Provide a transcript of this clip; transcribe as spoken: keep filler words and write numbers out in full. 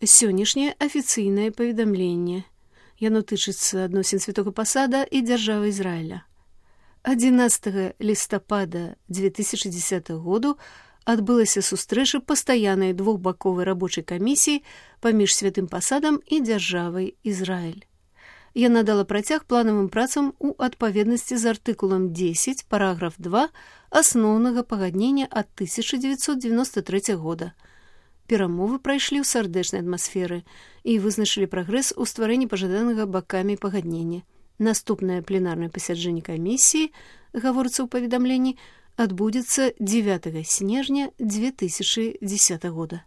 Сённяшняе афіцыйнае паведамленне. Яно тычыцца адносін святога пасада і дзяржавы Ізраіля. адзінаццатага лістапада дзве тысячы дзесятага году адбылася сустрэча пастаяннай двухбаковай рабочай камісіі паміж святым пасадам і дзяржавай Ізраіль. Яна дала працяг планавым працам у адпаведнасці з артыкулам дзесяць, параграф два асноўнага пагаднення ад тысяча дзевяцьсот дзевяноста трэцяга года. Перамовы прайшлі ў сардэчнай атмасферы і вызначылі прагрэс у стварэнні пажаданага бакамі пагаднення. Наступнае пленарнае пасяджэнне камісіі, гаворыцца ў паведамленні, адбудзецца дзевятага снежня дзве тысячы дзесятага года.